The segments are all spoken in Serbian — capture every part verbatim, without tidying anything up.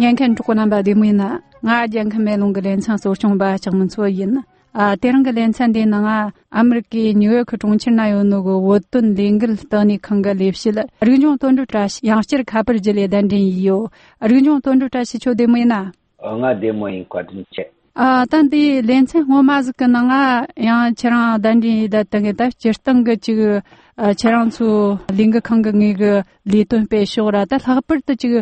yan kan chu nan ba de mu na nga jan kan me long len chang so chung ba chang men so yin a terang len chan de na nga ameriki new york chung chin na yo no go wo tun lingil ta ni khang ga lep sil ri jong ton du tra yang chir kha par jile dan din yo ri jong ton du tra si cho de mu na nga de mo in kwa tin che 아 단디 렌체 호마즈 그나가 야 체랑 단디 다땅에 다 제스탕 그 지금 체랑수 링크 강강이 그 리톤 페쇼라다 하버트 지금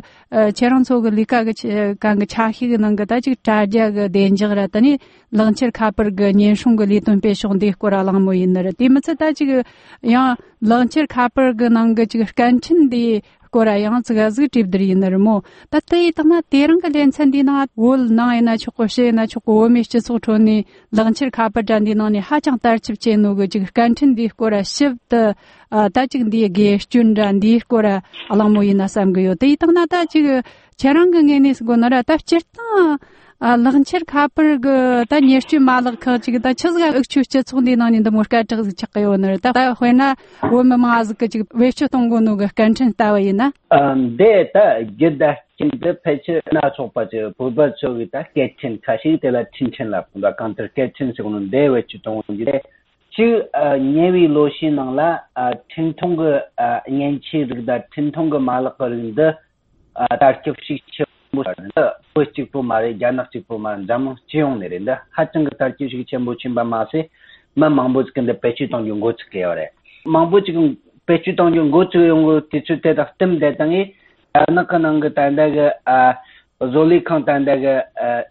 체랑수 그 리카 그 강가 차히 그는 거다 지금 자자 그 덴저라더니 런처 카퍼 그 년숑 그 리톤 페쇼인데 거라랑 뭐 있는데 디마츠다 지금 야 런처 카퍼 그는 그 지금 간친디 Kora yang tsuga zga tibdiri inarmo. Tatai tanga teranga lenchandi na wol na ina choko she na choko womish chiso choni langchir kapa jandi na ni hachang tarchib che no go jiga kanchin di kora shibda tachig di gesh chundan di kora alamo ina samgayo. Tai tanga ta jiga charanga ngenis go nara ta chirta langchir kapar go ta nyeshchu malag ka jiga ta chizga ukchu chitsundi na ni da morka chig chakayo nara ta ta hoina woma maaz ka jiga weshu tongo no go kanchin tawa ina um de ta gida chinda peche na chopa je boba chogita ketchen kashi de la chinchen la punda counter ketchen segun de wechu tong jire chi nyewi loshi nang la tintong ga nyenchi da tintong ga malak rinda tarkip shi mo da pochi po mare janak chi po man jam chiong ne rinda hachang ga tarkip shi chembo chimba ma se ma mangbo skende peche tong yung go chke ore mangbo chi pechu tong yung go chu yung go tichu te da tem de tangi na kanang ga tanda ga zoli khang tanda ga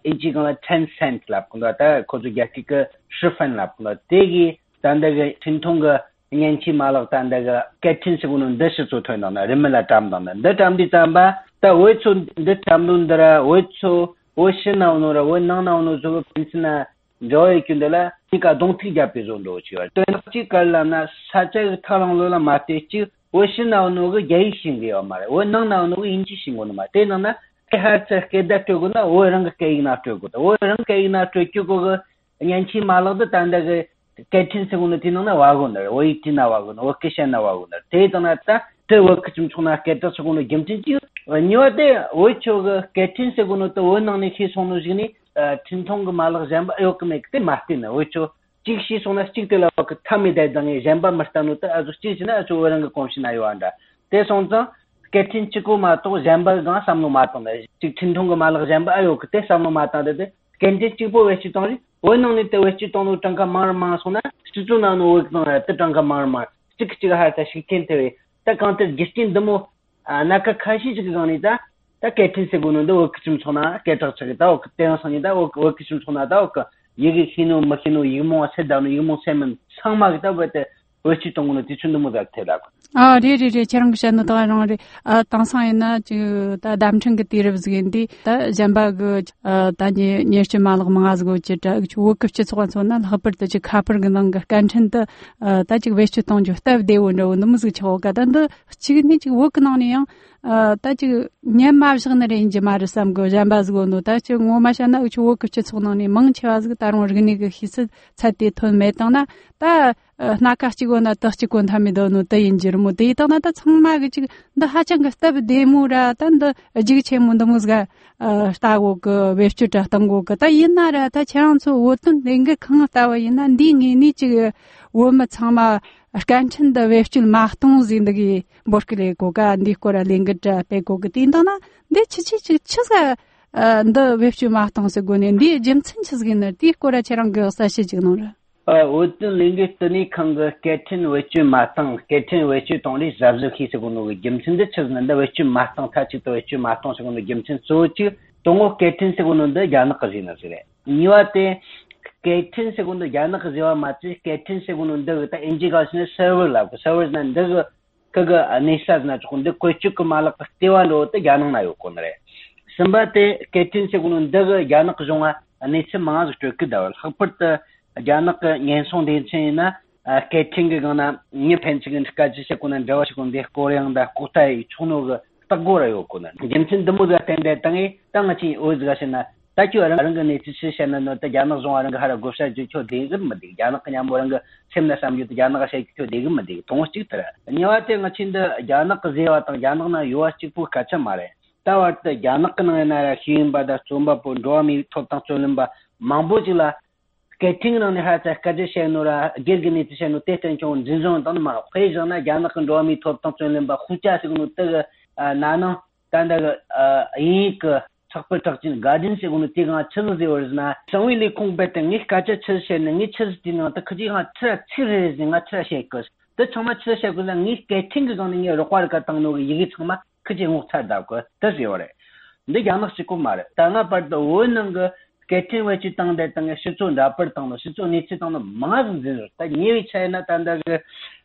inchi ga ten cent lap kunda ta ko ju ga ki ka shifan lap kunda te gi tanda ga tintong ga nyanchi malak tanda ga ketchin segun de shi chu thoi na na remela tam na de tam di tam ba ta wo chu de tam nun dara wo chu wo shin na no ra wo na na no zo pinsna joy kindala ika dongti jape zondo chiwa to chi kala na sacha tharang lo la mate chi wo shin na no ga yai shin ge amare wo nang na no inchi shin go na te na na ha cha ke da to go na wo rang ke na to go wo rang ke na to ki go ga nyanchi malo da tanda ga ketchin se go na tin na wa go na wo iti na wa go na wo ke shan na wa go na te ta na ta te wo ke chum chuna ke ta se go na gemchin chi nyo de wo cho ga ketchin se go na to wo nang ni khi sonu jini tintong malak jamba yok mekte martina ocho chikshi sona chiktela ka thami dai dange jamba martanu ta azu chichina azu oranga komshina yoanda te sonza ketin chiku ma to jamba ga samno ma to chik tintong malak jamba ayok te samno ma ta de kenje chipo wechi tonri onong ni te wechi tonu tanga mar ma sona chituna no wek no te tanga mar ma chik chik ha ta shikente ta kante gistin demo naka khashi chik gani ta ta ketin segundo o kichum chona ketar chagita o ten sanida o kichum chona da o yegi hinu makinu yimo sedano yimo semen sangma gita bete wechi tongno tichundu moda tela 아, 리리리 저런 것은 더 나오리 아 당상이나 저다 담층 그 디르브즈긴디 다 잠바 그 다니 녀시 말고 망아즈고 지다 주급치 소관소나 하버드 지 카퍼그는 그 간천다 다지 웨스트 동주 타 데오노 너무스 저가단도 지금이 지 워크나니요 아 다지 녀마브스그네 인지 마르삼 고 잠바즈고노 다지 오마샤나 주 워크치 소노니 망치와즈 다른 오르기니 그 히스 차티 톤 메타나 다 나카치고나 터치곤 하미도노 대인지르 뭐 데이터나다 정말 지금 나 하장 갔다 데모라 단다 지기 체문도 무스가 스타고 그 웹슈트 했던 거 그다 옛날에 다 저런서 어떤 랭게 강하다와 있나 닝이 니지 오마 참마 간천다 웹슈트 마흐통 진드기 버클레 고가 니코라 랭게자 페고 그틴다나 데 치치 치가 더 웹슈트 마흐통서 고네 니 점친 치즈기나 디코라 저런 거 사시 지금노라 어떤 링게스니 칸가 캐튼 외치 마탕 캐튼 외치 동리 잡즈키 세고노 gem친데 쳐는데 외치 마탕 타치도 외치 마탕 세고노 gem친 소치 동오 캐튼 세고노데 야나 가지나스레 니와테 캐튼 세고노 야나 가지와 마치 캐튼 세고노데 타 인지가스네 서버라 서버는데 그가 네사즈나 조건데 코치크 말라 파티와로테 야나나요 코네레 심바테 캐튼 세고노데 야나 가종아 네체 마즈 트크다월 하퍼트 janak nyenson de chena catching gana ni penching ka ji se kunan dawa se kun de koreang da kutai chuno ga tagora yo kunan jemchin demu da tende tangi tangachi ozga sena tachu arang ne chi se sena no ta janak zong arang hara gosha ji cho de gam madi janak nya morang semna samju ta janak se cho de gam madi tong chi tara niwa te ngachin da janak zewa ta janak na yuwa chi pu ka cha mare tawarta yanakna na himba da somba po domi topta cholimba mambojila skating na ne hata kaje shenura gergini tshenu teten chon jinjon dan ma phejana yanakna domi topta cholimba khucha sigunu ta nana tanda ik chakpal takjin garden sigunu tiga chilze orzna sawili kongbeten ni kaje chilshen ni chilsdina ta kji ha tra chire zinga tra shekos 더 정말 치셔고는 이 게팅그 거는 여러 과를 갖다는 거 이게 정말 크게 못하다고 뜻이오래. 근데 야막시고 말해. 당아 받도 오는 거 게팅 외치 땅대 땅에 시촌 라퍼 땅도 시촌 니치 땅도 망하는 줄. 다 니위 차이나 단다 그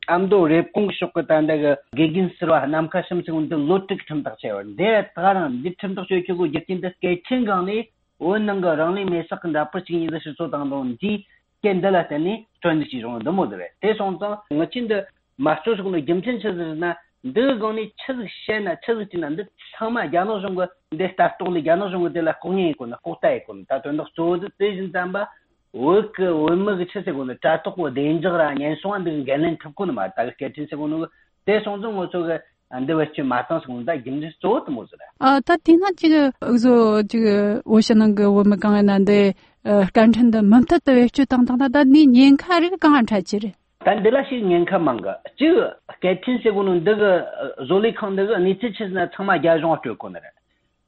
암도 랩공 쇼크 단다 그 게긴스로 남카심 지금도 로틱 틈다 쳐요. 내 다른 니틈도 쇼치고 예킨데 게팅 거니 오는 거 랑리 메삭 라퍼 지금 이제 시촌 땅도 지 켄달라테니 트렌디시 정도 모델에 대송도 멋진데 마스터스군의 gem천체들나 너거니 쳐시나 쳐지는데 참아 야노 정도 내 스타트올이 야노 정도 될라 공이고나 고타이고 다도 소드 대진 담바 워크 원먹이 쳐세고나 다토고 데인저라 년송한데 게는 탑고는 맞다 게티세고는 대송도 뭐저가 안데워치 마탄스군다 김지 소트 모즈라 아 다티나 지금 그래서 지금 오시는 거我们刚才难的呃干成的门特的就当当的你年卡这个刚才起但德拉是年卡망가这给听说过那个조리康那个你这次呢他妈家中就过来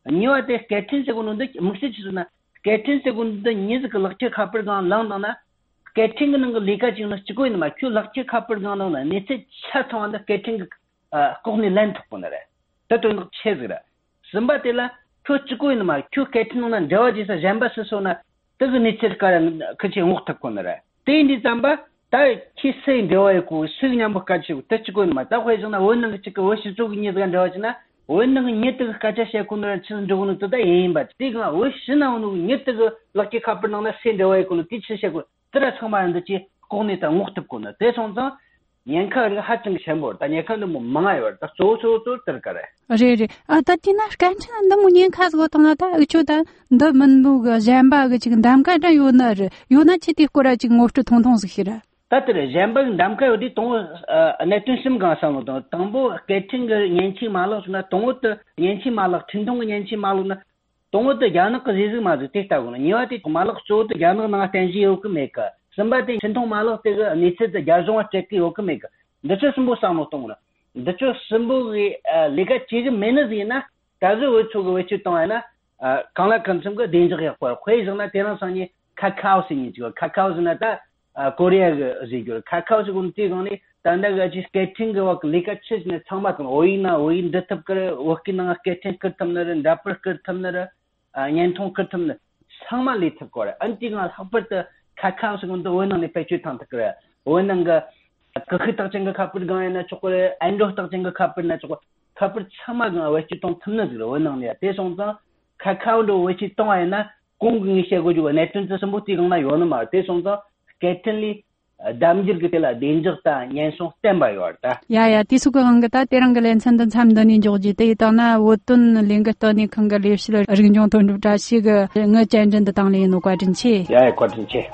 你话的给听说过那个目前是呢给听说过的你这个落去卡不刚浪当呢给听个那个离开就呢这个嘛就落去卡不刚呢你这恰当的给听呃国内land过来这都那车子了什么的了就这个嘛就给听呢저지서 잠바스 소나 뜨거 니체카는 그치 못했거든요. 대인지 잠바 다 키스인 되어있고 수익량 먹가지고 뜻지고 맞다 회전나 원능 그 지금 워시 쪽이 니가 되어지나 원능 니트가 가자시에 군을 치는 적은 또다 예인 받. 이거 워시 나오는 니트가 럭키 카프는 센 되어있고 티치시고 들어 처마는지 고네다 못했거든요. 대선서 년카를 하증 셴버 다 년카는 뭐 망아요. 다 소소소 들까래. 어제리 아 다티나 간찬 너무 년카고 통하다 어쩌다 너 문부가 잠바가 지금 담가다 요나 요나 치티 거라 지금 없어 통통스히라. 다들 잠바 담가 어디 동 네튼심 가상도 당보 게팅거 년치 말로나 동어도 년치 말로 진동 년치 말로나 동어도 야는 거 지지 맞을 때 있다고는 니와티 말로 쪼도 야는 나 텐지요 그 메카 somebody 전통 말로 때가 니체의 야종화 체크 요금이가 너저 심보 상노동으로 너저 심보의 리가 지금 매너지나 가서 외초고 외치 동안나 강라 컨섬거 덴저가 거 회정나 대란선이 카카오신이 지고 카카오즈나다 코리아가 지고 카카오즈군 티고니 단다가 지 스케팅거 리가 치즈네 참마도 오이나 오인 데탑거 워킹나 스케팅 커텀너는 다퍼 커텀너라 년통 커텀너 상말리 탑거래 안티가 합버터 카카오스군도 원능의 배치 탄탁그래 원능가 그 딱정가 카프를 가야나 초콜릿 안도 딱정가 카프나 초콜 카프 참마가 외치 동 탐나들 원능이야 대송도 카카오도 외치 동아야나 공공이 세고지고 네튼에서 못 이거나 요는 말 대송도 게틀리 담질 그텔라 덴저타 년송 스탠바이어다 야야 디수가 한가다 때랑글엔 산던 참더니 조지 데이터나 어떤 링거더니 컨갈리스를 어긴종 돈도 다시가 응어 전전도 당리는 과진치 야야 과진치